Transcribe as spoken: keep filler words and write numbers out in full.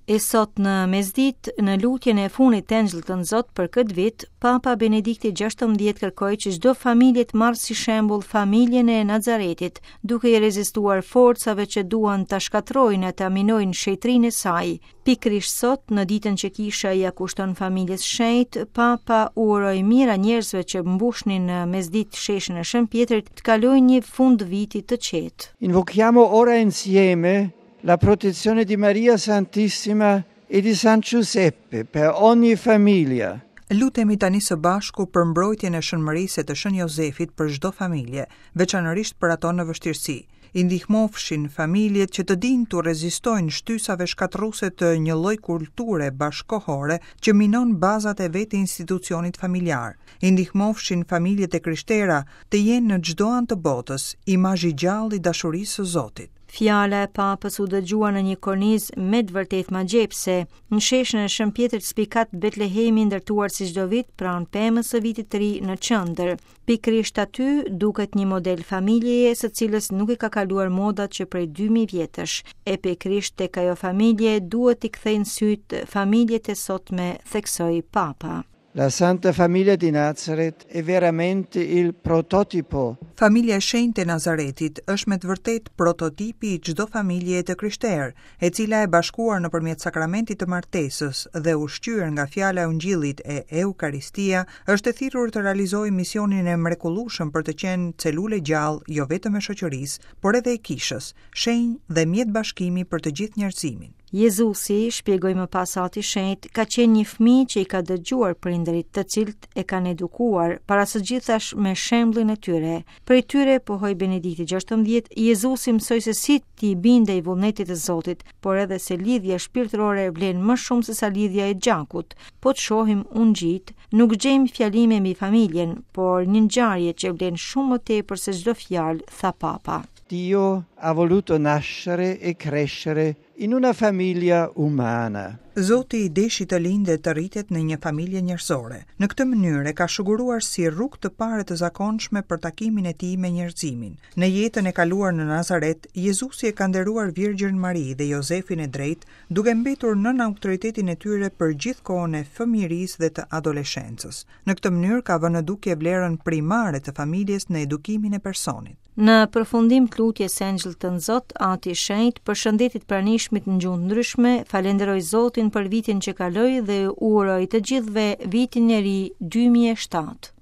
E sot në mesditë, në lutjen e fundit të Engjëllit Tënzot për këtë vit, Papa Benedikti gjashtëmbëdhjetë kërkoi që çdo familje të marrë si shembull familjen e Nazaretit, duke i rezistuar forcave që duan ta shkatërrojnë e ta minojnë shenjtërinë e saj. Pikërisht sot, në ditën që kisha ia kushton familjes shenjtë, Papa u uroi mijëra njerëzve që mbushnin në mesditë sheshin e Shën Pjetrit të kalojnë një fund viti të qetë. Invochiamo ora insieme la protezione di Maria Santissima e di San Giuseppe per ogni famiglia. Lutemi tani së bashku për mbrojtjen e Shën Mërisë e të Shën Jozefit për çdo familje, veçanërisht për ato në vështirësi. I ndihmofshin familjet që të dinë t'u rezistojnë shtysave shkatërruese të një lloj kulture bashkohore që minon bazat e vetë institucionit familjar. I ndihmofshin familjet e krishtera të jenë në çdo anë të botës, imazh i gjallë i dashurisë së Zotit. Fjala e Papës u dëgjua në një kornizë me të vërtetë magjepse. Në sheshin e Shën Pjetrit spikat Betlehemi ndërtuar si çdo vit pranë pemës së vitit të ri në qendër. Pikërisht aty duket një model familjeje së cilës nuk i ka kaluar moda që prej dy mijë vjetësh. E pikërisht tek ajo familje duhet t'i kthejnë syt familjet e sotme, theksoi Papa. La Santa Famiglia di Nazaret è veramente il prototipo. Familja e shenjtë e Nazaretit është me të vërtetë prototipi i çdo familjeje të krishterë, e cila e bashkuar nëpërmjet sakramentit të martesës dhe ushqyer nga fjala e Ungjillit e Eukaristia, është e thirrur të realizojë misionin e mrekullueshëm për të qenë celulë e gjallë jo vetëm e shoqërisë, por edhe e kishës, shenjë dhe mjet bashkimi për të gjithë njerëzimin. Jezusi, shpjegoi më pas Ati Shenjt, ka qenë një fëmijë që i ka dëgjuar prindërit, të cilët e kanë edukuar, para së gjithash me shembullin e tyre. Prej tyre, pohoi Benedikti gjashtëmbëdhjetë, Jezusi mësoi se si t'i bindej vullnetit të Zotit, por edhe se lidhja shpirtërore vlen më shumë se sa lidhja e gjakut. Po të shohim ungjit, nuk gjejmë fjalime mbi familjen, por një ngjarje që vlen shumë më tepër se çdo fjalë, tha Papa. Dio ha voluto nascere e crescere in una famiglia umana. Zoti i deshi të lindë e të rritet në një familje njerëzore. Në këtë mënyrë e ka shuguruar si rrugë të parë të zakonshme për takimin e tij me njerëzimin. Në jetën e kaluar në Nazaret, Jezusi e ka nderuar Virgjën Mari dhe Jozefin e drejtë, duke mbetur nën autoritetin e tyre për gjithë kohën e fëmijërisë dhe të adoleshencës. Në këtë mënyrë ka vënë në dukje vlerën primare të familjes në edukimin e personit. Në përfundim të lutjes së Engjëllit Tënzot, Ati i Shenjtë përshëndeti të pranishmit në gjuhë ndryshme, falenderoi Zotin për vitin që kaloi dhe u uroi të gjithëve vitin e ri dy mijë e shtatë.